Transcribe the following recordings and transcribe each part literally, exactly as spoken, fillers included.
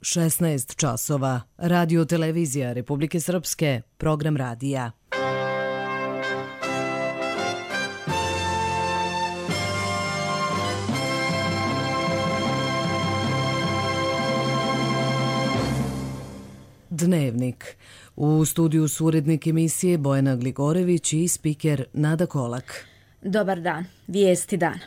šesnaest časova. Radio televizija Republike Srpske, program radija. Dnevnik. U studiju su urednik emisije Bojana Gligorević i spiker Nada Kolak. Dobar dan. Vijesti dana.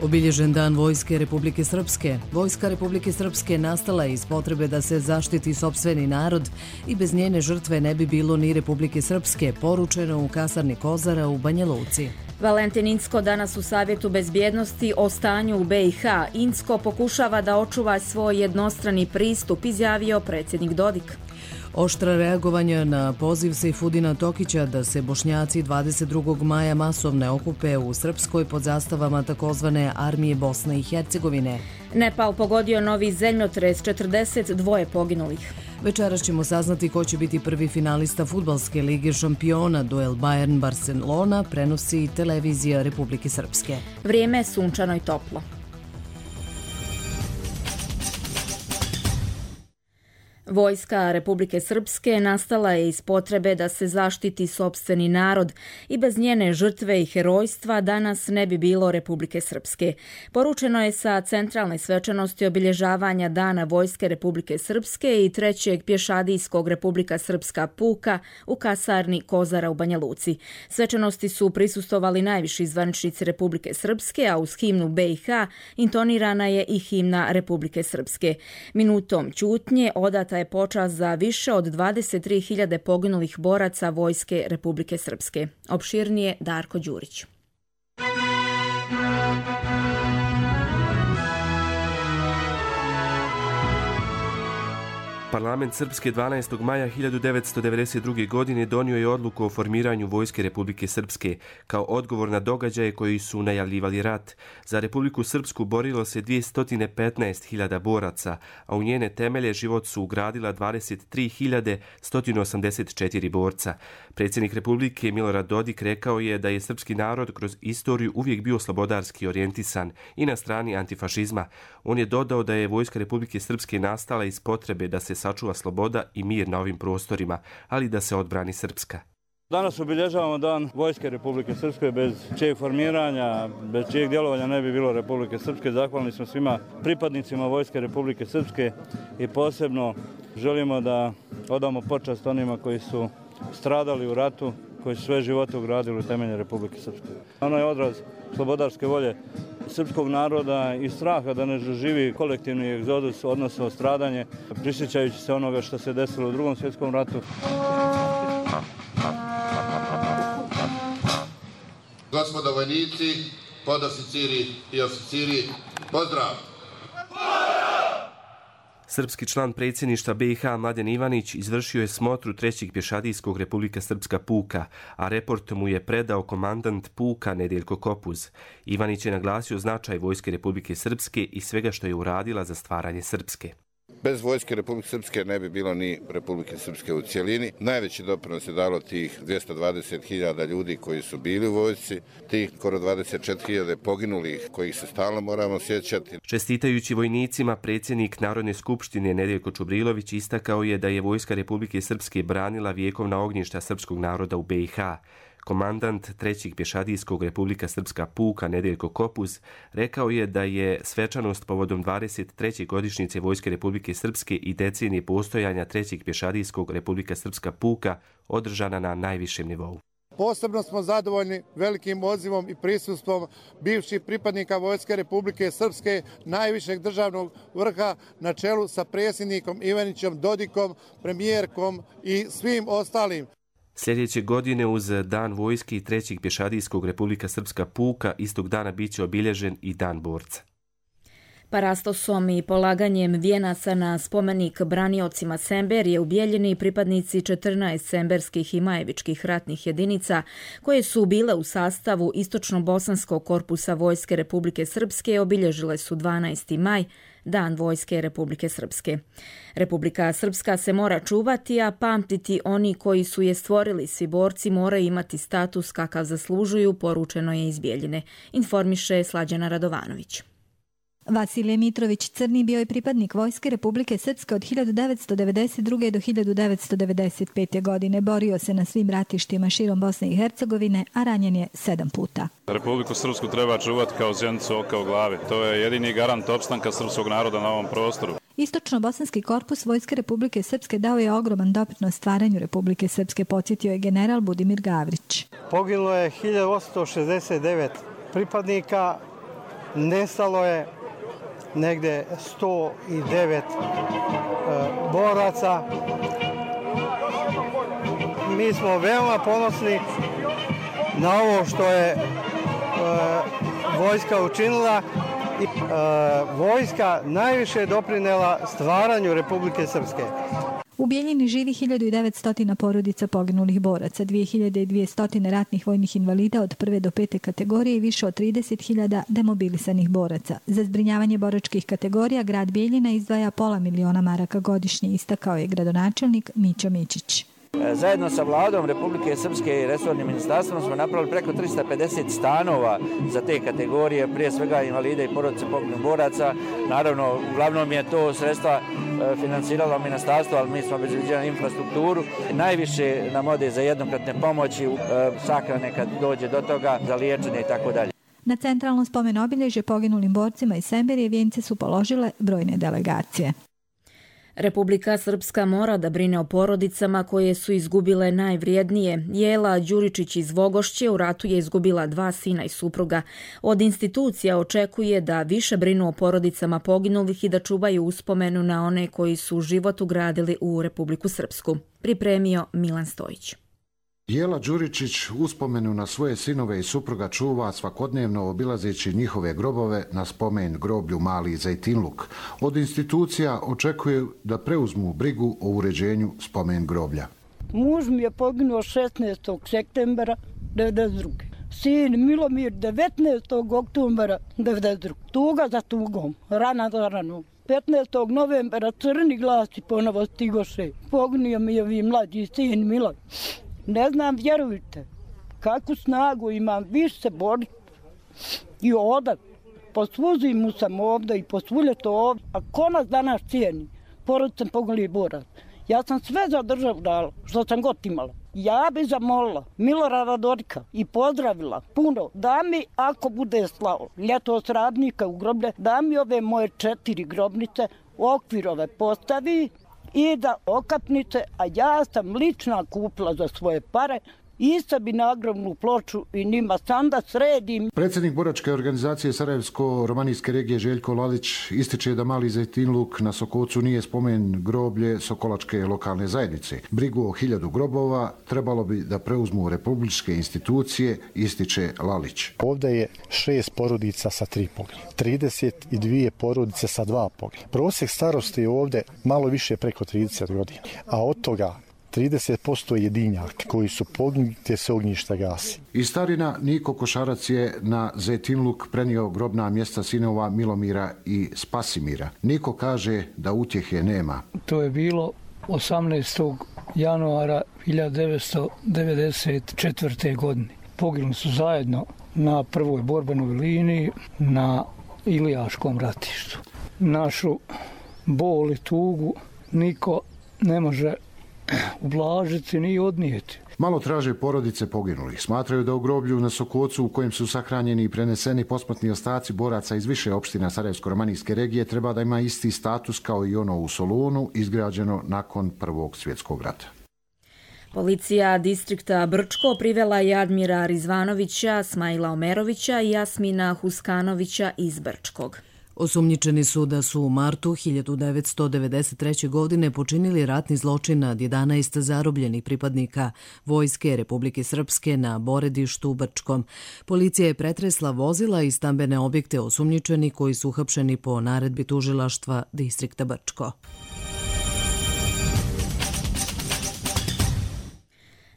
Obilježen dan Vojske Republike Srpske. Vojska Republike Srpske nastala je iz potrebe da se zaštiti sopstveni narod i bez njene žrtve ne bi bilo ni Republike Srpske, poručeno u kasarni Kozara u Banja Luci. Valentin Incko danas u Savjetu bezbjednosti o stanju u be i ha. Incko pokušava da očuva svoj jednostrani pristup, izjavio predsjednik Dodik. Oštra reagovanja na poziv Sejfudina Tokića da se Bošnjaci dvadeset drugog maja masovne okupe u Srpskoj pod zastavama takozvane Armije Bosne i Hercegovine. Nepal pogodio novi zemljotres, četrdeset dva poginulih. Večeras ćemo saznati ko će biti prvi finalista Fudbalske lige šampiona. Duel Bayern-Barcelona prenosi televizija Republike Srpske. Vrijeme je sunčano i toplo. Vojska Republike Srpske nastala je iz potrebe da se zaštiti sopstveni narod i bez njene žrtve i herojstva danas ne bi bilo Republike Srpske. Poručeno je sa centralne svečanosti obilježavanja Dana Vojske Republike Srpske i trećeg pješadijskog Republika Srpska puka u kasarni Kozara u Banja Luci. Svečanosti su prisustvovali najviši zvaničnici Republike Srpske, a uz himnu be i ha intonirana je i himna Republike Srpske. Minutom ćutnje odata je počast za više od dvadeset tri hiljade poginulih boraca Vojske Republike Srpske. Opširnije Darko Đurić. Parlament Srpske dvanaestog maja hiljadu devetsto devedeset druge. godine donio je odluku o formiranju Vojske Republike Srpske kao odgovor na događaje koji su najavljivali rat. Za Republiku Srpsku borilo se dvjesto petnaest hiljada boraca, a u njene temelje život su ugradila dvadeset tri hiljade sto osamdeset četiri borca. Predsjednik Republike Milorad Dodik rekao je da je srpski narod kroz istoriju uvijek bio slobodarski orijentisan i na strani antifašizma. On je dodao da je Vojska Republike Srpske nastala iz potrebe da se sačuva sloboda i mir na ovim prostorima, ali da se odbrani Srpska. Danas obilježavamo Dan Vojske Republike Srpske, bez čijeg formiranja, bez čijeg djelovanja ne bi bilo Republike Srpske. Zahvalni smo svima pripadnicima Vojske Republike Srpske i posebno želimo da odamo počast onima koji su stradali u ratu, koji su sve živote ugradili u temelje Republike Srpske. Ono je odraz slobodarske volje srpskog naroda i straha da ne doživi kolektivni egzodus, odnosno stradanje, prisjećajući se onoga što se desilo u Drugom svjetskom ratu. Gospodo vojnici, podoficiri i oficiri, pozdrav! Srpski član predsjedništva be i ha Mladen Ivanić izvršio je smotru trećeg pješadijskog Republika Srpska puka, a report mu je predao komandant puka Nedeljko Kopuz. Ivanić je naglasio značaj Vojske Republike Srpske i svega što je uradila za stvaranje Srpske. Bez Vojske Republike Srpske ne bi bilo ni Republike Srpske u cijelini. Najveći doprinos je dalo tih dvjesto dvadeset hiljada ljudi koji su bili u vojsci, tih skoro dvadeset četiri hiljade poginulih kojih se stalno moramo sjećati. Čestitajući vojnicima, predsjednik Narodne skupštine Nedeljko Čubrilović istakao je da je Vojska Republike Srpske branila vjekovna ognjišta srpskog naroda u be i ha. Komandant trećeg pješadijskog Republika Srpska puka Nedeljko Kopuz rekao je da je svečanost povodom dvadeset treće godišnjice Vojske Republike Srpske i decenije postojanja trećeg pješadijskog Republika Srpska puka održana na najvišem nivou. Posebno smo zadovoljni velikim odzivom i prisustvom bivših pripadnika Vojske Republike Srpske, najvišeg državnog vrha na čelu sa predsjednikom Ivanićem, Dodikom, premijerkom i svim ostalim. Sljedeće godine uz Dan vojske i trećeg pješadijskog Republika Srpska puka istog dana biće obilježen i Dan borca. Parastosom i polaganjem vijenaca na spomenik braniocima Semberije ubijeljeni pripadnici četrnaest semberskih i majevičkih ratnih jedinica koje su bile u sastavu Istočno-bosanskog korpusa Vojske Republike Srpske obilježile su dvanaesti maj, Dan Vojske Republike Srpske. Republika Srpska se mora čuvati, a pamtiti oni koji su je stvorili. Svi borci moraju imati status kakav zaslužuju, poručeno je iz Bijeljine, informiše Slađana Radovanović. Vasilije Mitrović Crni bio je pripadnik Vojske Republike Srpske od hiljadu devetsto devedeset druge. do hiljadu devetsto devedeset pete. godine. Borio se na svim ratištima širom Bosne i Hercegovine, a ranjen je sedam puta. Republiku Srpsku treba čuvati kao zjenicu oka u glavi. To je jedini garant opstanka srpskog naroda na ovom prostoru. Istočno-bosanski korpus Vojske Republike Srpske dao je ogroman doprinos stvaranju Republike Srpske, podsjetio je general Budimir Gavrić. Poginulo je hiljadu osamsto šezdeset devet pripadnika, nestalo je negde sto devet e, boraca. Mi smo veoma ponosni na ovo što je e, vojska učinila i e, vojska najviše doprinela stvaranju Republike Srpske. U Bijeljini živi hiljadu devetsto porodica poginulih boraca, dvije hiljade dvjesto ratnih vojnih invalida od prve do pete kategorije i više od trideset hiljada demobilisanih boraca. Za zbrinjavanje boračkih kategorija grad Bijeljina izdvaja pola miliona maraka godišnje, istakao je gradonačelnik Mićo Mičić. Zajedno sa vladom Republike Srpske i resornim ministarstvom smo napravili preko tristo pedeset stanova za te kategorije, prije svega invalide i porodice poginulih boraca. Naravno, uglavnom je to sredstva financiralo ministarstvo, ali mi smo obezbeđivali infrastrukturu. Najviše nam ode za jednokratne pomoći, sahrane kad dođe do toga, za liječenje i tako dalje. Na centralno spomen obilježje poginulim borcima iz Semberije vijence su položile brojne delegacije. Republika Srpska mora da brine o porodicama koje su izgubile najvrijednije. Jela Đuričić iz Vogošće u ratu je izgubila dva sina i supruga. Od institucija očekuje da više brinu o porodicama poginulih i da čuvaju uspomenu na one koji su život ugradili u Republiku Srpsku. Pripremio Milan Stojić. Jela Đuričić uspomenu na svoje sinove i supruga čuva svakodnevno obilazeći njihove grobove na spomen groblju Mali Zejtinluk. Od institucija očekuju da preuzmu brigu o uređenju spomen groblja. Muž mi je poginuo šesnaestog septembra devedeset druge. Sin Milomir devetnaestog oktobra devedeset druge. Tuga za tugom, rana za ranom. petnaestog novembra crni glasi ponovo stigoše. Poginio mi je vi mlađi sin Miloj. Ne znam, vjerujte, kakvu snagu imam, više se boriti. I ovdje, po svu zimu sam ovdje i po svu ljeto ovdje. A ko nas danas cijeni? Porodicem poginulih boraca. Ja sam sve za državu dala, što sam god imala. Ja bi zamolila Milorada Dodika i pozdravila puno da mi, ako bude slao ljetos radnika u groblje, da mi ove moje četiri grobnice okvirove postavi i da okapnice, a ja sam lična kupila za svoje pare, isto bi nagrobnu ploču i njima sam da sredim. Predsjednik boračke organizacije Sarajevsko-romanijske regije Željko Lalić ističe da Mali Zejtinluk na Sokocu nije spomen groblje Sokolačke lokalne zajednice. Brigu o hiljadu grobova trebalo bi da preuzmu republičke institucije, ističe Lalić. Ovdje je šest porodica sa tri poginulih, trideset dvije porodice sa dva poginulih. Prosjek starosti je ovdje malo više preko trideset godina, a od toga trideset posto jedinjaka koji su poginuli te se ognjišta gasi. Iz starina Niko Košarac je na Zejtinluk prenio grobna mjesta sinova Milomira i Spasimira. Niko kaže da utjehe nema. To je bilo osamnaestog januara hiljadu devetsto devedeset četvrte. godine. Poginuli su zajedno na prvoj borbenoj liniji na Ilijaškom ratištu. Našu bol i tugu niko ne može ublažiti ni odnijeti. Malo traže porodice poginulih. Smatraju da u groblju na Sokocu u kojem su sahranjeni i preneseni posmrtni ostaci boraca iz više opština Sarajevsko-romanijske regije treba da ima isti status kao i ono u Solunu, izgrađeno nakon Prvog svjetskog rata. Policija distrikta Brčko privela je Admira Rizvanovića, Smajla Omerovića i Jasmina Huskanovića iz Brčkog. Osumnjičeni su da su u martu hiljadu devetsto devedeset treće. godine počinili ratni zločin nad jedanaest zarobljenih pripadnika Vojske Republike Srpske na Boredištu u Brčkom. Policija je pretresla vozila i stambene objekte osumnjičeni koji su uhapšeni po naredbi tužilaštva distrikta Brčko.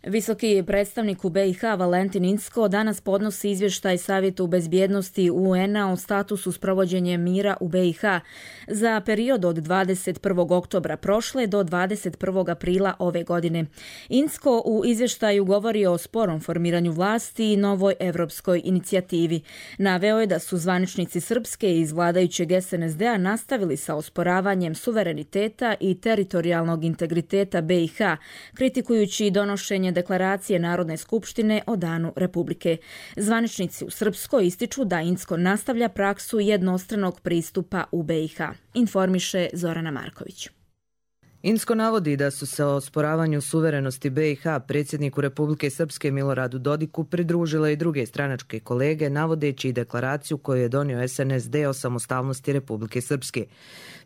Visoki predstavnik u be i ha Valentin Incko danas podnosi izvještaj Savjetu bezbjednosti u en a o statusu sprovođenja mira u be i ha za period od dvadeset prvog oktobra prošle do dvadeset prvog aprila ove godine. Incko u izvještaju govori o sporom formiranju vlasti i novoj evropskoj inicijativi. Naveo je da su zvaničnici Srpske iz vladajućeg es en es de a nastavili sa osporavanjem suvereniteta i teritorijalnog integriteta be i ha, kritikujući donošenje deklaracije Narodne skupštine o Danu Republike. Zvaničnici u Srpskoj ističu da Incko nastavlja praksu jednostranog pristupa u be i ha. Informiše Zorana Marković. Incko navodi da su se o osporavanju suverenosti be i ha predsjedniku Republike Srpske Miloradu Dodiku pridružile i druge stranačke kolege, navodeći i deklaraciju koju je donio es en es de o samostalnosti Republike Srpske.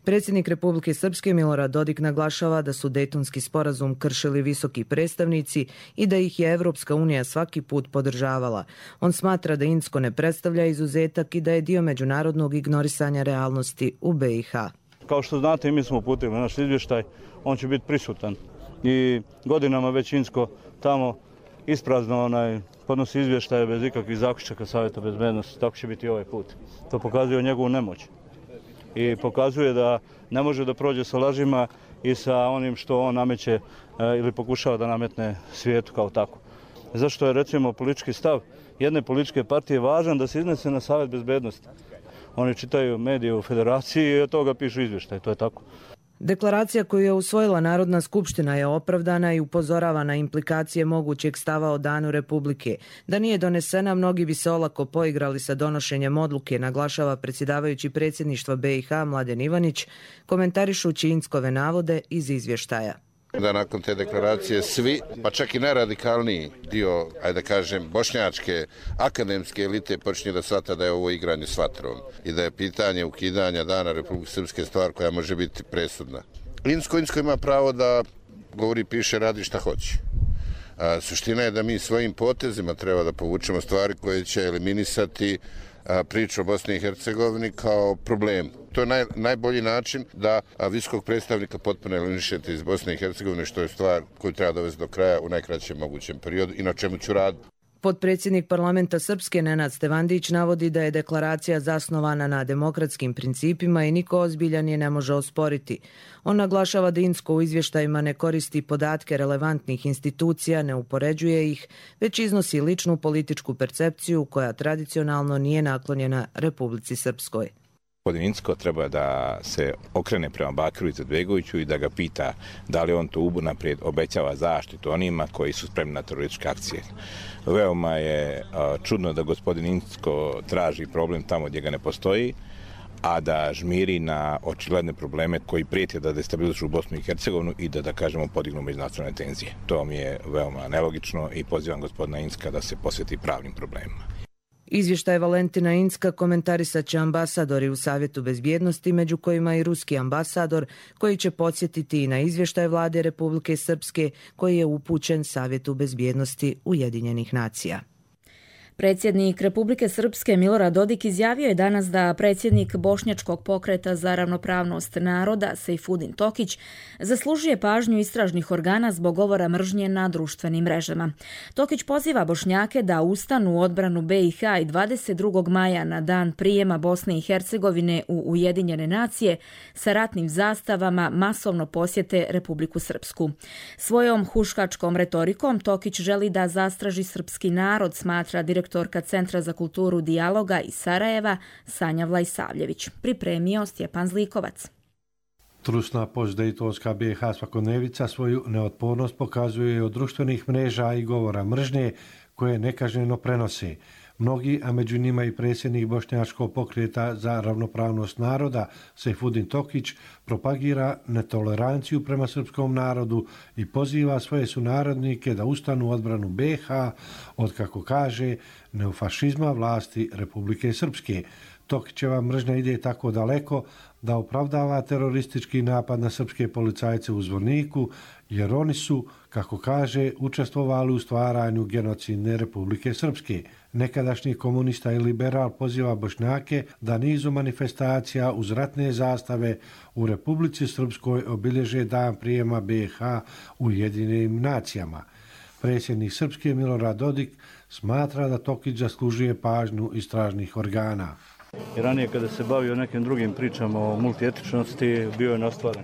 Predsjednik Republike Srpske Milorad Dodik naglašava da su Dejtonski sporazum kršili visoki predstavnici i da ih je Evropska unija svaki put podržavala. On smatra da Incko ne predstavlja izuzetak i da je dio međunarodnog ignorisanja realnosti u be i ha. Kao što znate, mi smo uputili naš izvještaj, on će biti prisutan. I godinama već Incko tamo isprazno onaj, podnosi izvještaje bez ikakvih zaključaka Savjeta bezbednosti. Tako će biti i ovaj put. To pokazuje njegovu nemoć. I pokazuje da ne može da prođe sa lažima i sa onim što on nameće ili pokušava da nametne svijetu kao tako. Zašto je, recimo, politički stav jedne političke partije važan da se iznese na Savjet bezbednosti? Oni čitaju medije u federaciji i od toga pišu izvještaj, to je tako. Deklaracija koju je usvojila Narodna skupština je opravdana i upozorava na implikacije mogućeg stava o Danu Republike. Da nije donesena, mnogi bi se olako poigrali sa donošenjem odluke, naglašava predsjedavajući predsjedništva be i ha Mladen Ivanić, komentarišući Inckove navode iz izvještaja. Da nakon te deklaracije svi, pa čak i najradikalniji dio, ajde da kažem, bošnjačke akademske elite počinje da shvata da je ovo igranje s vatrom i da je pitanje ukidanja Dana Republike Srpske stvar koja može biti presudna. Incko, Incko ima pravo da govori, piše, radi šta hoće. A, suština je da mi svojim potezima treba da povučemo stvari koje će eliminisati a, priču o Bosni i Hercegovini kao problem. To je naj, najbolji način da visokog predstavnika potpuno eliminišete iz Bosne i Hercegovine, što je stvar koju treba dovesti do kraja u najkraćem mogućem periodu i na čemu ću raditi. Potpredsjednik parlamenta Srpske Nenad Stevandić navodi da je deklaracija zasnovana na demokratskim principima i niko ozbiljan je ne može osporiti. On naglašava da Incko u izvještajima ne koristi podatke relevantnih institucija, ne upoređuje ih, već iznosi ličnu političku percepciju koja tradicionalno nije naklonjena Republici Srpskoj. Gospodin Incko treba da se okrene prema Bakiru Izetbegoviću i da ga pita da li on to unaprijed obećava zaštitu onima koji su spremni na terorističke akcije. Veoma je čudno da gospodin Incko traži problem tamo gdje ga ne postoji, a da žmiri na očigledne probleme koji prijete da destabilizuju Bosnu i Hercegovinu i da, da kažemo, podignu međunacionalne tenzije. To mi je veoma nelogično i pozivam gospodina Incka da se posveti pravnim problemima. Izvještaj Valentina Incka komentarisat će ambasadori u Savjetu bezbjednosti, među kojima i ruski ambasador, koji će podsjetiti i na izvještaj vlade Republike Srpske koji je upućen Savjetu bezbjednosti Ujedinjenih nacija. Predsjednik Republike Srpske Milorad Dodik izjavio je danas da predsjednik Bošnjačkog pokreta za ravnopravnost naroda Sejfudin Tokić zaslužuje pažnju istražnih organa zbog govora mržnje na društvenim mrežama. Tokić poziva Bošnjake da ustanu u odbranu be i ha i dvadeset drugog maja na dan prijema Bosne i Hercegovine u Ujedinjene nacije sa ratnim zastavama masovno posjete Republiku Srpsku. Svojom huškačkom retorikom Tokić želi da zastraži srpski narod, smatra direktor Direktorka Centra za kulturu dijaloga iz Sarajeva Sanja Vlajsavljević. Pripremio Stjepan Zlikovac. Trusna postdejtonska be i ha svakodnevica svoju neotpornost pokazuje od društvenih mreža i govora mržnje koje nekažnjeno prenose. Mnogi, a među njima i predsjednik Bošnjačkog pokreta za ravnopravnost naroda Sejfudin Tokić, propagira netoleranciju prema srpskom narodu i poziva svoje sunarodnike da ustanu u odbranu be i ha od, kako kaže, neofašizma vlasti Republike Srpske. Tokićeva mržnja ide tako daleko da opravdava teroristički napad na srpske policajce u Zvorniku, jer oni su, kako kaže, učestvovali u stvaranju genocidne Republike Srpske. Nekadašnji komunista i liberal poziva Bošnjake da nizu manifestacija uz ratne zastave u Republici Srpskoj obilježe dan prijema be i ha u Ujedinjenim nacijama. Predsjednik Srpske Milorad Dodik smatra da Tokić zaslužuje pažnju istražnih organa. I ranije kada se bavio nekim drugim pričama o multietičnosti, bio je nastvaren.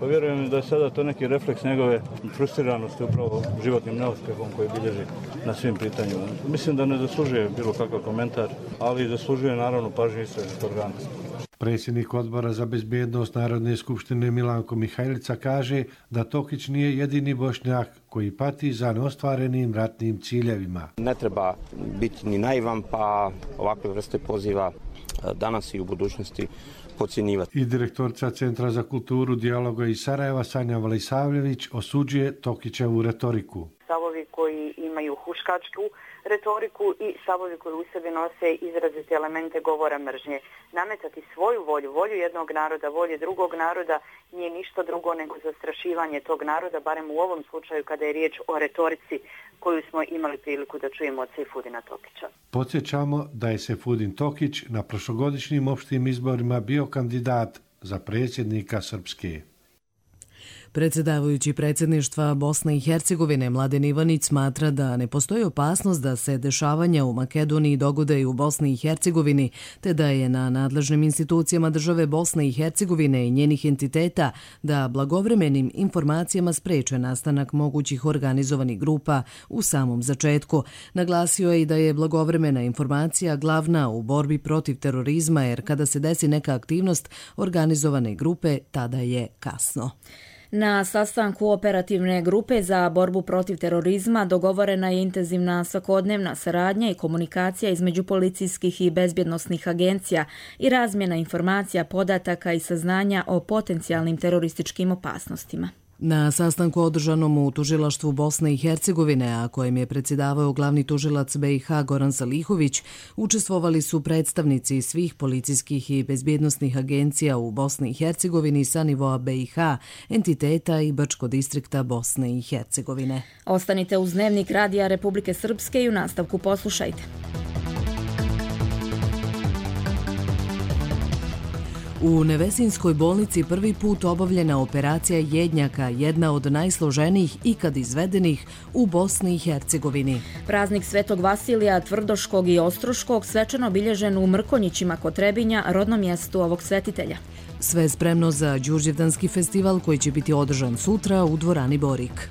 Pa vjerujem da je sada to neki refleks njegove frustriranosti upravo životnim neuspjehom koji bilježi na svim pitanjima. Mislim da ne zaslužuje bilo kakav komentar, ali zaslužuje naravno pažnju istražnih organa. Predsjednik odbora za bezbjednost Narodne skupštine Milanko Mihajlica kaže da Tokić nije jedini Bošnjak koji pati za neostvarenim ratnim ciljevima. Ne treba biti ni naivan, pa ovakve vrste poziva danas i u budućnosti podcjenjivati. I direktorica Centra za kulturu dijaloga iz Sarajeva Sanja Valisavljević osuđuje Tokićevu retoriku. Stavovi koji imaju huškačku retoriku i stavovi koji u sebi nose izrazite elemente govora mržnje. Nametati svoju volju, volju jednog naroda, volju drugog naroda nije ništa drugo nego zastrašivanje tog naroda, barem u ovom slučaju kada je riječ o retorici koju smo imali priliku da čujemo od Sejfudina Tokića. Podsjećamo da je Sejfudin Tokić na prošlogodišnjim opštim izborima bio kandidat za predsjednika Srpske. Predsjedavajući predsjedništva Bosne i Hercegovine Mladen Ivanić smatra da ne postoji opasnost da se dešavanja u Makedoniji dogode i u Bosni i Hercegovini, te da je na nadležnim institucijama države Bosne i Hercegovine i njenih entiteta da blagovremenim informacijama spreče nastanak mogućih organizovanih grupa u samom začetku. Naglasio je i da je blagovremena informacija glavna u borbi protiv terorizma, jer kada se desi neka aktivnost organizovane grupe, tada je kasno. Na sastanku operativne grupe za borbu protiv terorizma dogovorena je intenzivna svakodnevna saradnja i komunikacija između policijskih i bezbjednosnih agencija i razmjena informacija, podataka i saznanja o potencijalnim terorističkim opasnostima. Na sastanku održanom u tužilaštvu Bosne i Hercegovine, a kojem je predsjedavao glavni tužilac B i H Goran Salihović, učestvovali su predstavnici svih policijskih i bezbjednosnih agencija u Bosni i Hercegovini sa nivoa B i H, entiteta i Brčko distrikta Bosne i Hercegovine. Ostanite uz Dnevnik Radija Republike Srpske i u nastavku poslušajte. U Nevesinskoj bolnici prvi put obavljena operacija jednjaka, jedna od najsloženijih ikad izvedenih u Bosni i Hercegovini. Praznik Svetog Vasilija Tvrdoškog i Ostroškog svečano obilježen u Mrkonjićima kod Trebinja, rodnom mjestu ovog svetitelja. Sve spremno za Đurđevdanski festival koji će biti održan sutra u dvorani Borik.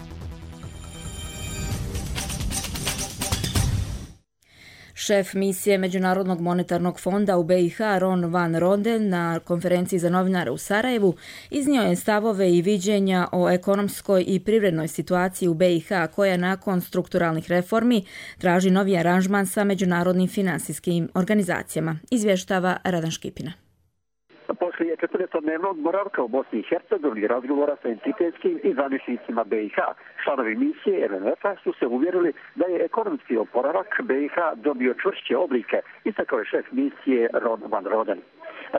Šef misije Međunarodnog monetarnog fonda u B i H Ron Van Ronden na konferenciji za novinare u Sarajevu iznio je stavove i viđenja o ekonomskoj i privrednoj situaciji u B i H koja nakon strukturalnih reformi traži novi aranžman sa međunarodnim finansijskim organizacijama, izvještava Radan Škipina. Poslije četrdesetdnevnog boravka u Bosni i Hercegovini razgovora sa entitetskim i zvaničnicima B i H, članovi misije M M F-a su se uvjerili da je ekonomski oporavak B i H dobio čvršće oblike, istakao je šef misije Ron Van Roden.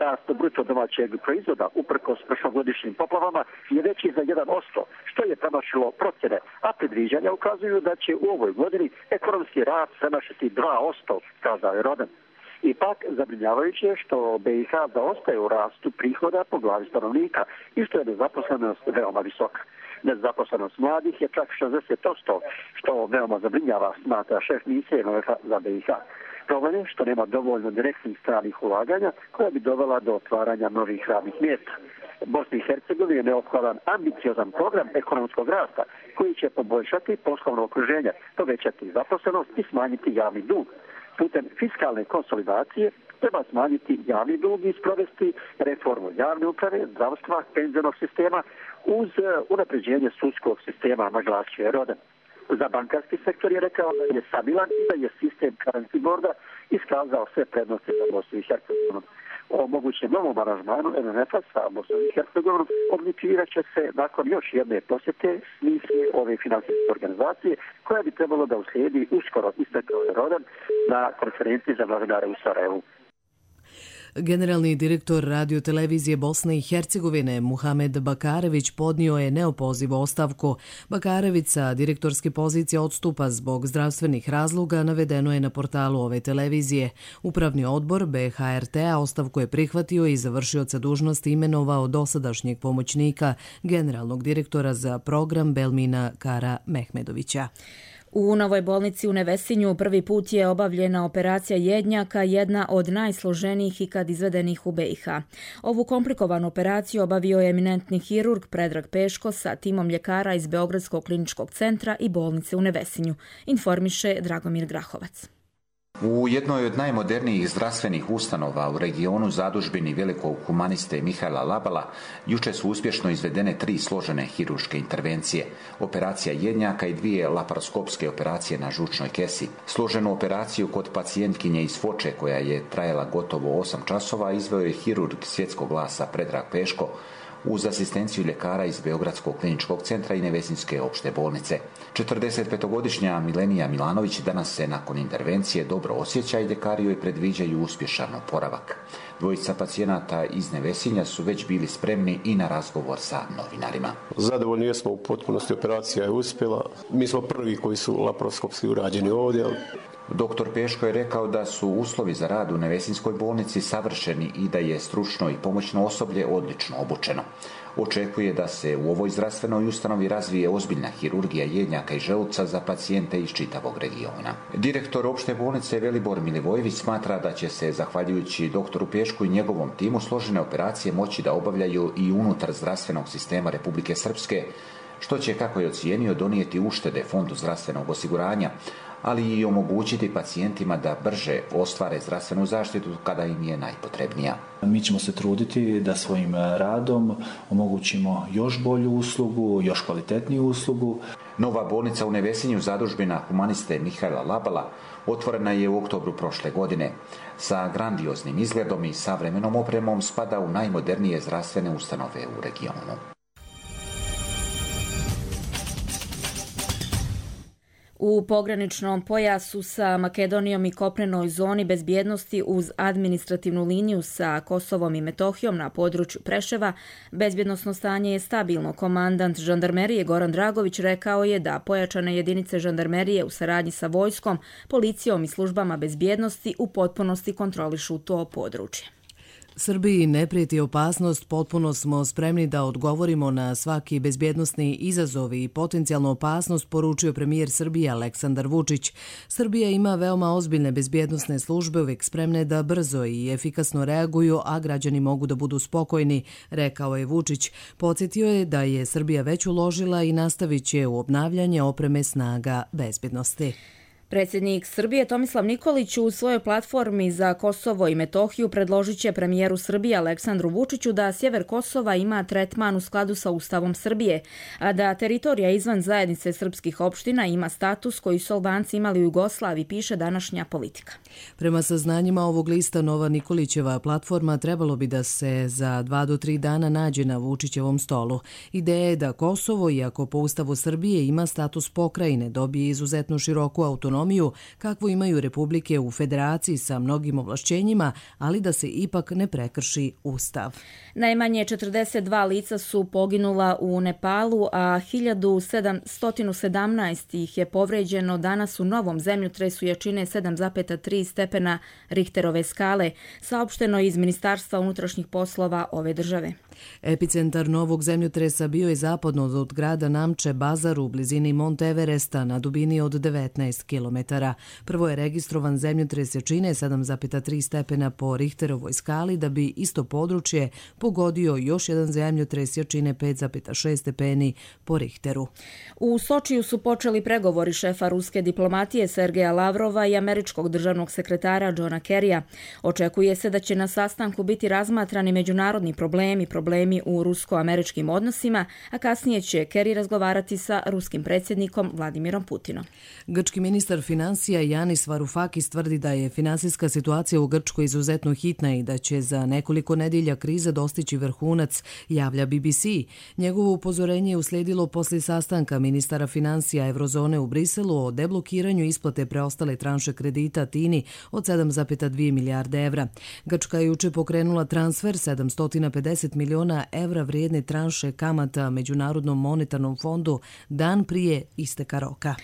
Rast bruto domaćeg proizvoda uprkos prošlogodišnjim poplavama je veći za jedan posto, što je premašilo procjene, a predviđanja ukazuju da će u ovoj godini ekonomski rast premašiti dva posto, kazao je Roden. Ipak, zabrinjavajuće je što B i H zaostaje u rastu prihoda po glavi stanovnika i što je nezaposlenost veoma visoka. Nezaposlenost mladih je čak šezdeset posto, što veoma zabrinjava, smatra šef misije M M F-a za B i H. Problem je što nema dovoljno direktnih stranih ulaganja koja bi dovela do otvaranja novih radnih mjesta. Bosni i Hercegovini je neophodan ambiciozan program ekonomskog rasta koji će poboljšati poslovno okruženje, povećati zaposlenost i smanjiti javni dug. Putem fiskalne konsolidacije treba smanjiti javni dug i sprovesti reformu javne uprave, zdravstva, penzionog sistema uz unapređenje sudskog sistema, naglasio je Roden. Za bankarski sektor je rekao da je stabilan i da je sistem currency boarda iskazao sve prednosti za Bosnu i Hercegovinu. O mogućem novom aranžmanu M M F-a sa Bosnom i Hercegovinom odlučivat će se nakon još jedne posjete misije ove finansijske organizacije koja bi trebalo da uslijedi uskoro, istakao je Roden na konferenciji za novinare u Sarajevu. Generalni direktor radiotelevizije Bosne i Hercegovine Muhamed Bakarević podnio je neopozivu ostavku. Bakarević sa direktorske pozicije odstupa zbog zdravstvenih razloga, navedeno je na portalu ove televizije. Upravni odbor B H R T-a ostavku je prihvatio i završioca dužnosti imenovao dosadašnjeg pomoćnika generalnog direktora za program Belmina Kara Mehmedovića. U Novoj bolnici u Nevesinju prvi put je obavljena operacija jednjaka, jedna od najsloženijih ikad izvedenih u B i H. Ovu komplikovanu operaciju obavio je eminentni hirurg Predrag Peško sa timom ljekara iz Beogradskog kliničkog centra i bolnice u Nevesinju, informiše Dragomir Grahovac. U jednoj od najmodernijih zdravstvenih ustanova u regionu zadužbini velikog humaniste Mihajla Labala juče su uspješno izvedene tri složene hirurške intervencije, operacija jednjaka i dvije laparoskopske operacije na žučnoj kesi. Složenu operaciju kod pacijentkinje iz Foče, koja je trajala gotovo osam časova, izveo je hirurg svjetskog glasa Predrag Peško uz asistenciju ljekara iz Beogradskog kliničkog centra i Nevesinjske opšte bolnice. četrdesetpetogodišnja Milenija Milanović danas se nakon intervencije dobro osjeća i ljekari joj predviđaju uspješan oporavak. Dvojica pacijenata iz Nevesinja su već bili spremni i na razgovor sa novinarima. Zadovoljni jesmo u potpunosti, operacija je uspjela. Mi smo prvi koji su laparoskopski urađeni ovdje. Doktor Peško je rekao da su uslovi za rad u Nevesinjskoj bolnici savršeni i da je stručno i pomoćno osoblje odlično obučeno. Očekuje da se u ovoj zdravstvenoj ustanovi razvije ozbiljna hirurgija jednjaka i želuca za pacijente iz čitavog regiona. Direktor opšte bolnice Velibor Milivojević smatra da će se, zahvaljujući doktoru Pešku i njegovom timu, složene operacije moći da obavljaju i unutar zdravstvenog sistema Republike Srpske, što će, kako je ocijenio, donijeti uštede Fondu zdravstvenog osiguranja, ali i omogućiti pacijentima da brže ostvare zdravstvenu zaštitu kada im je najpotrebnija. Mi ćemo se truditi da svojim radom omogućimo još bolju uslugu, još kvalitetniju uslugu. Nova bolnica u Nevesinju, zadužbina humaniste Mihajla Labala, otvorena je u oktobru prošle godine. Sa grandioznim izgledom i savremenom opremom spada u najmodernije zdravstvene ustanove u regionu. U pograničnom pojasu sa Makedonijom i kopnenoj zoni bezbjednosti uz administrativnu liniju sa Kosovom i Metohijom na području Preševa, bezbjednosno stanje je stabilno. Komandant žandarmerije Goran Dragović rekao je da pojačane jedinice žandarmerije u saradnji sa vojskom, policijom i službama bezbjednosti u potpunosti kontrolišu to područje. Srbiji ne prijeti opasnost, potpuno smo spremni da odgovorimo na svaki bezbjednosni izazov i potencijalnu opasnost, poručio premijer Srbije Aleksandar Vučić. Srbija ima veoma ozbiljne bezbjednosne službe, uvijek spremne da brzo i efikasno reaguju, a građani mogu da budu spokojni, rekao je Vučić. Podsjetio je da je Srbija već uložila i nastavit će u obnavljanje opreme snaga bezbjednosti. Predsjednik Srbije Tomislav Nikolić u svojoj platformi za Kosovo i Metohiju predložit će premijeru Srbije Aleksandru Vučiću da sjever Kosova ima tretman u skladu sa Ustavom Srbije, a da teritorija izvan zajednice srpskih opština ima status koji su Albanci imali u Jugoslaviji, piše današnja Politika. Prema saznanjima ovog lista, nova Nikolićeva platforma trebalo bi da se za dva do tri dana nađe na Vučićevom stolu. Ideja je da Kosovo, iako po Ustavu Srbije ima status pokrajine, dobije izuzetno široku autonomiju kakvu imaju republike u federaciji sa mnogim ovlašćenjima, ali da se ipak ne prekrši Ustav. Najmanje četrdeset dva lica su poginula u Nepalu, a hiljadu sedamsto sedamnaest ih je povređeno danas u novom zemljotresu jačine sedam zarez tri stepena Richterove skale, saopšteno iz Ministarstva unutrašnjih poslova ove države. Epicentar novog zemljotresa bio je zapadno od grada Namče Bazar u blizini Monte Everesta na dubini od devetnaest kilometara. Prvo je registrovan zemljotres jačine sedam zarez tri stepena po Richterovoj skali, da bi isto područje pogodio još jedan zemljotres jačine pet zarez šest stepeni po Richteru. U Sočiju su počeli pregovori šefa ruske diplomatije Sergeja Lavrova i američkog državnog sekretara Johna Kerrya. Očekuje se da će na sastanku biti razmatrani međunarodni problemi, problemi u rusko-američkim odnosima, a kasnije će Kerry razgovarati sa ruskim predsjednikom Vladimirom Putinom. Grčki ministar finansija Yanis Varoufakis tvrdi da je finansijska situacija u Grčkoj izuzetno hitna i da će za nekoliko nedjelja kriza dostići vrhunac, javlja B B C. Njegovo upozorenje je uslijedilo poslije sastanka ministara finansija Eurozone u Briselu o deblokiranju isplate preostale tranše kredita Tini od sedam zarez dvije milijarde evra. Grčka je juče pokrenula transfer sedamsto pedeset miliona evra vrijedne tranše kamata Međunarodnom monetarnom fondu dan prije isteka roka.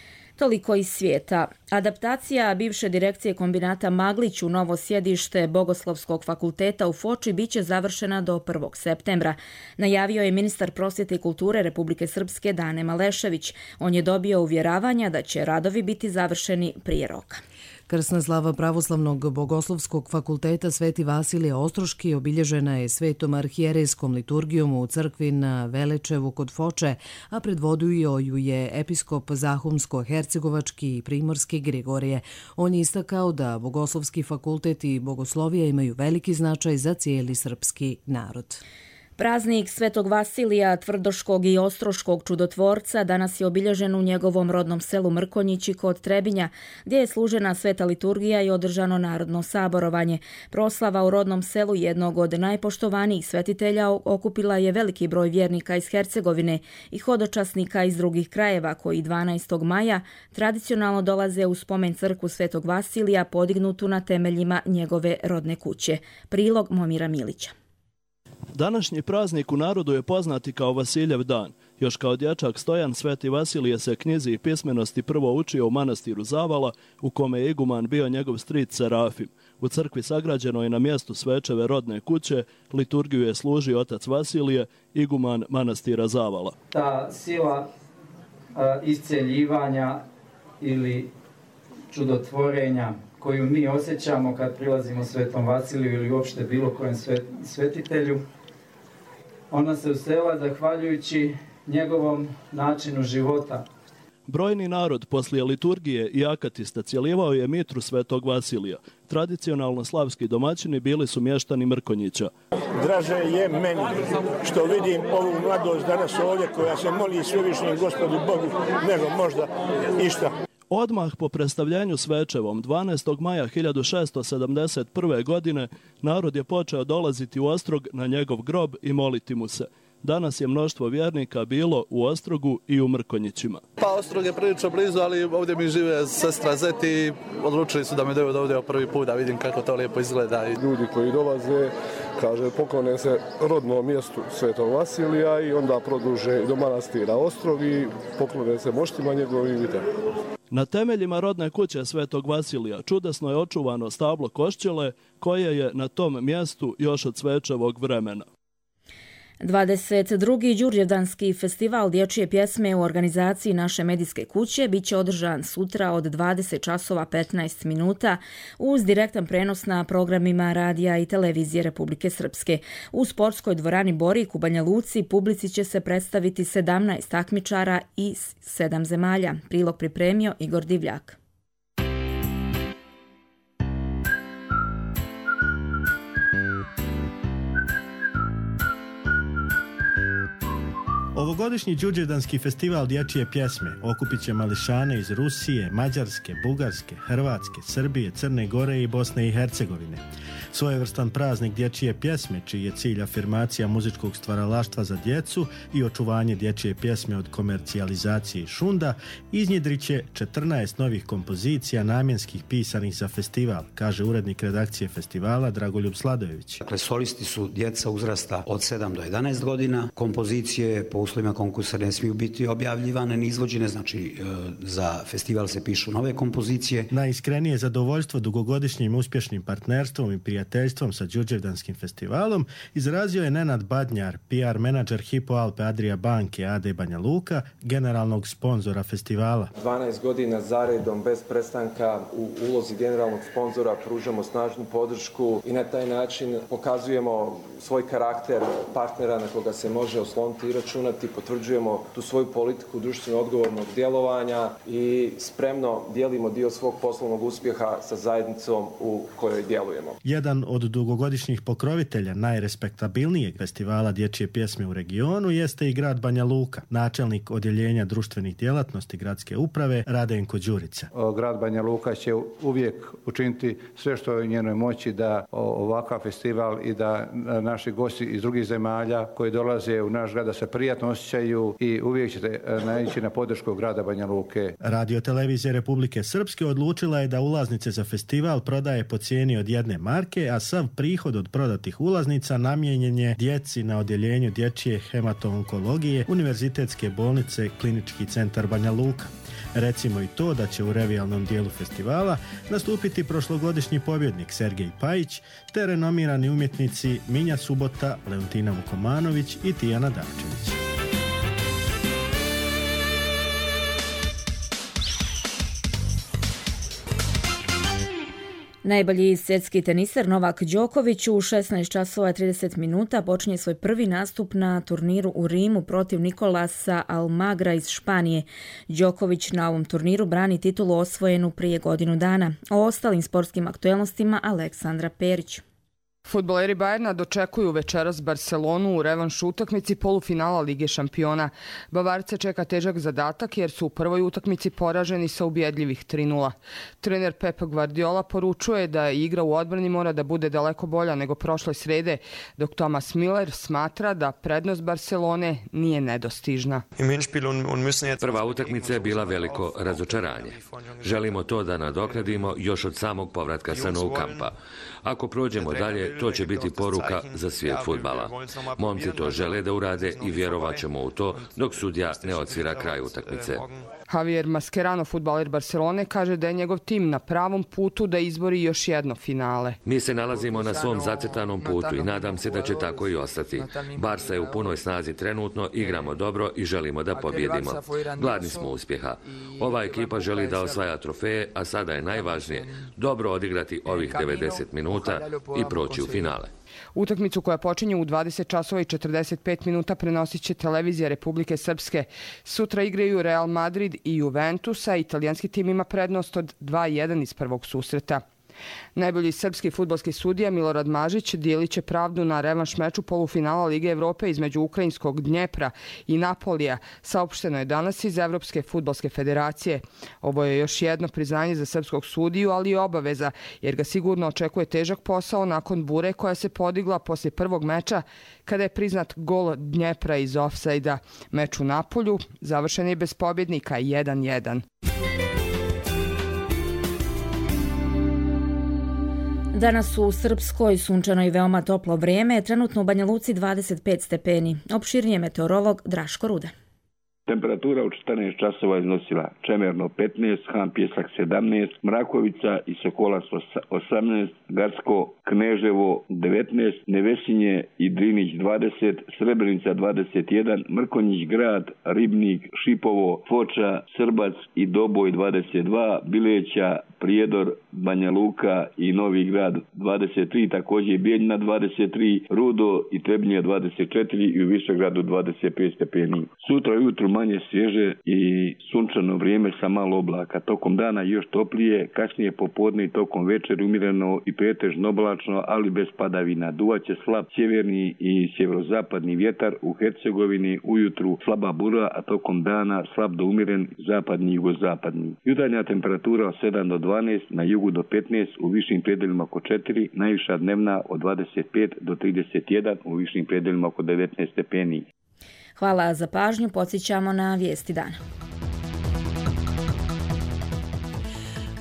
Toliko iz svijeta. Adaptacija bivše direkcije kombinata Maglić u novo sjedište Bogoslovskog fakulteta u Foči biće završena do prvog septembra. Najavio je ministar prosvjete i kulture Republike Srpske Dane Malešević. On je dobio uvjeravanja da će radovi biti završeni prije roka. Krsna slava Pravoslavnog Bogoslovskog fakulteta Sveti Vasilije Ostroški obilježena je svetom arhijerejskom liturgijom u crkvi na Velečevu kod Foče, a predvodio ju je episkop Zahumsko-hercegovački i primorski Grigorije. On je istakao da Bogoslovski fakultet i bogoslovija imaju veliki značaj za cijeli srpski narod. Praznik Svetog Vasilija, Tvrdoškog i Ostroškog čudotvorca danas je obilježen u njegovom rodnom selu Mrkonjići kod Trebinja, gdje je služena sveta liturgija i održano narodno saborovanje. Proslava u rodnom selu jednog od najpoštovanijih svetitelja okupila je veliki broj vjernika iz Hercegovine i hodočasnika iz drugih krajeva koji dvanaestog maja tradicionalno dolaze u spomen crkvu Svetog Vasilija podignutu na temeljima njegove rodne kuće. Prilog Momira Milića. Današnji praznik u narodu je poznati kao Vasiljev dan. Još kao dječak Stojan Sveti Vasilije se knjizi i pismenosti prvo učio u manastiru Zavala, u kome je iguman bio njegov stric Serafim. U crkvi sagrađenoj na mjestu Svečeve rodne kuće liturgiju je služio otac Vasilije, iguman manastira Zavala. Ta sila a, isceljivanja ili čudotvorenja koju mi osjećamo kad prilazimo Svetom Vasiliju ili uopšte bilo kojem svetitelju, ona se usela zahvaljujući njegovom načinu života. Brojni narod poslije liturgije i akatista cijeljivao je mitru Svetog Vasilija. Tradicionalno slavski domaćini bili su mještani Mrkonjića. Draže je meni što vidim ovu mladost danas ovdje koja se moli svevišnjem Gospodu Bogu nego možda išta. Odmah po predstavljanju svečevom dvanaestog maja hiljadu šesto sedamdeset prve. godine narod je počeo dolaziti u Ostrog na njegov grob i moliti mu se. Danas je mnoštvo vjernika bilo u Ostrogu i u Mrkonjićima. Pa Ostrog je prilično blizu, ali ovdje mi žive sestra Zeti i odlučili su da me dovedu ovdje prvi put da vidim kako to lijepo izgleda. Ljudi koji dolaze, kaže, poklone se rodnom mjestu Svetog Vasilija i onda produže do manastira Ostrog i poklone se moštima njegovim i tako. Na temeljima rodne kuće Svetog Vasilija čudesno je očuvano stablo Košćele koje je na tom mjestu još od Svečevog vremena. dvadeset drugi Đurđevdanski festival dječje pjesme u organizaciji naše medijske kuće biće održan sutra od dvadeset časova petnaest minuta uz direktan prenos na programima radija i televizije Republike Srpske. U sportskoj dvorani Borik u Banja Luci publici će se predstaviti sedamnaest takmičara iz sedam zemalja. Prilog pripremio Igor Divljak. Ovogodišnji Đurđevdanski festival dječje pjesme okupit će mališane iz Rusije, Mađarske, Bugarske, Hrvatske, Srbije, Crne Gore i Bosne i Hercegovine. Svojevrstan praznik dječje pjesme, čiji je cilj afirmacija muzičkog stvaralaštva za djecu i očuvanje dječje pjesme od komercijalizacije i šunda, iznjedrit će četrnaest novih kompozicija namjenskih pisanih za festival, kaže urednik redakcije festivala Dragoljub Sladojević. Dakle, solisti su djeca uzrasta od sedam do jedanaest godina. Kompozicije po uslovima konkursa ne smiju biti objavljivane ni izvođene, znači za festival se pišu nove kompozicije. Najiskrenije zadovoljstvo dugogodišnjim uspješnim partnerstvom i prijateljstvom sa Đurđevdanskim festivalom izrazio je Nenad Badnjar, P R menadžer Hypo Alpe Adria banke A D Banja Luka, generalnog sponzora festivala. dvanaest godina zaredom bez prestanka u ulozi generalnog sponzora pružamo snažnu podršku i na taj način pokazujemo svoj karakter partnera na koga se može osloniti i računati, potvrđujemo tu svoju politiku društveno odgovornog djelovanja i spremno dijelimo dio svog poslovnog uspjeha sa zajednicom u kojoj djelujemo. Jedan od dugogodišnjih pokrovitelja najrespektabilnijeg festivala dječje pjesme u regionu jeste i grad Banja Luka. Načelnik odjeljenja društvenih djelatnosti gradske uprave Radenko Đurica. Grad Banja Luka će uvijek učiniti sve što je u njenoj moći da ovakav festival i da naši gosti iz drugih zemalja koji dolaze u naš grad da se prijatno osjećaju i uvijek ćete naići na podršku grada Banja Luke. Radio televizija Republike Srpske odlučila je da ulaznice za festival prodaje po cijeni od jedne marke, a sav prihod od prodatih ulaznica namijenjen je djeci na odjeljenju dječje hematoonkologije Univerzitetske bolnice Klinički centar Banja Luka. Recimo i to da će u revijalnom dijelu festivala nastupiti prošlogodišnji pobjednik Sergej Pajić te renomirani umjetnici Minja Subota, Leontina Vukomanović i Tijana Davčević. Najbolji svjetski teniser Novak Đoković u šesnaest časova i trideset minuta počinje svoj prvi nastup na turniru u Rimu protiv Nikolasa Almagra iz Španije. Đoković na ovom turniru brani titulu osvojenu prije godinu dana. O ostalim sportskim aktuelnostima Aleksandra Perić. Fudbaleri Bajerna dočekuju večeras Barcelonu u revanš utakmici polufinala Lige šampiona. Bavarce čeka težak zadatak jer su u prvoj utakmici poraženi sa ubjedljivih tri nula. Trener Pep Guardiola poručuje da igra u odbrani mora da bude daleko bolja nego prošle srede, dok Thomas Müller smatra da prednost Barcelone nije nedostižna. Prva utakmica je bila veliko razočaranje. Želimo to da nadoknadimo još od samog povratka sa Nou Campa. Ako prođemo dalje, to će biti poruka za svijet fudbala. Momci to žele da urade i vjerovat ćemo u to dok sudija ne odsvira kraj utakmice. Javier Mascherano, fudbaler Barcelone, kaže da je njegov tim na pravom putu da izbori još jedno finale. Mi se nalazimo na svom zacrtanom putu i nadam se da će tako i ostati. Barsa je u punoj snazi trenutno, igramo dobro i želimo da pobjedimo. Gladni smo uspjeha. Ova ekipa želi da osvaja trofeje, a sada je najvažnije dobro odigrati ovih devedeset minuta i proći u finale. Utakmicu koja počinje u dvadeset časova i četrdeset pet minuta prenosit će televizija Republike Srpske. Sutra igraju Real Madrid i Juventus, a italijanski tim ima prednost od dva jedan iz prvog susreta. Najbolji srpski fudbalski sudija Milorad Mažić dijelit će pravdu na revanš meču polufinala Lige Evrope između ukrajinskog Dnjepra i Napolija, saopšteno je danas iz Evropske fudbalske federacije. Ovo je još jedno priznanje za srpskog sudiju, ali i obaveza, jer ga sigurno očekuje težak posao nakon bure koja se podigla poslije prvog meča kada je priznat gol Dnjepra iz ofsajda. Meč u Napolju završen je bez pobjednika jedan jedan. Danas u Srpskoj sunčano i veoma toplo vrijeme, trenutno u Banja Luci dvadeset pet stepeni. Opširnije meteorolog Draško Ruda. Temperatura u četrnaest časova iznosila Čemerno petnaest, Han Pjesak sedamnaest, Mrakovica i Sokolac osamnaest, Garsko, Kneževo devetnaest, Nevesinje i Drinić dvadeset, Srebrenica dvadeset jedan, Mrkonjić Grad, Ribnik, Šipovo, Foča, Srbac i Doboj dvadeset dva, Bileća, Prijedor, Banja Luka i Novi Grad dvadeset tri, također Bijeljina dvadeset tri, Rudo i Trebinje dvadeset četiri i u Višegradu dvadeset pet stepeni. Sutra ujutru manje svježe i sunčano vrijeme sa malo oblaka. Tokom dana još toplije, kasnije popodne i tokom večeri umjereno i pretežno oblačno, ali bez padavina. Duvaće slab sjeverni i sjeverozapadni vjetar, u Hercegovini ujutru slaba bura, a tokom dana slab do umjeren zapadni i jugozapadni. Jutarnja temperatura od sedam do dvanaest, na jugu do petnaest, u višim predelima oko četiri, najviša dnevna od dvadeset pet do trideset jedan, u višim predelima oko devetnaest stepeni. Hvala za pažnju, podsjećamo na vijesti dana.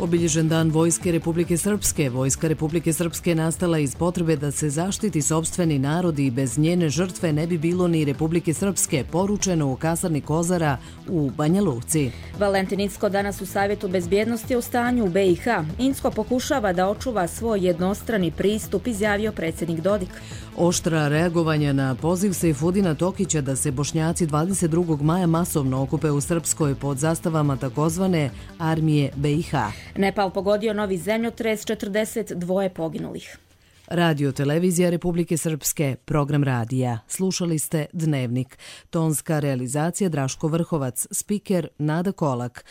Obilježen dan Vojske Republike Srpske. Vojska Republike Srpske nastala iz potrebe da se zaštiti sopstveni narod i bez njene žrtve ne bi bilo ni Republike Srpske, poručeno u kasarni Kozara u Banja Luci. Valentin Incko danas u Savjetu bezbjednosti u stanju u B i H. Incko pokušava da očuva svoj jednostrani pristup, izjavio predsjednik Dodik. Oštra reagovanja na poziv Sejfudina Tokića da se Bošnjaci dvadeset drugog maja masovno okupe u Srpskoj pod zastavama takozvane armije B i H. Nepal pogodio novi zemljotres, četrdeset dva poginulih. Radio Televizija Republike Srpske, program radija. Slušali ste Dnevnik. Tonska realizacija Draško Vrhovac, spiker Nada Kolak.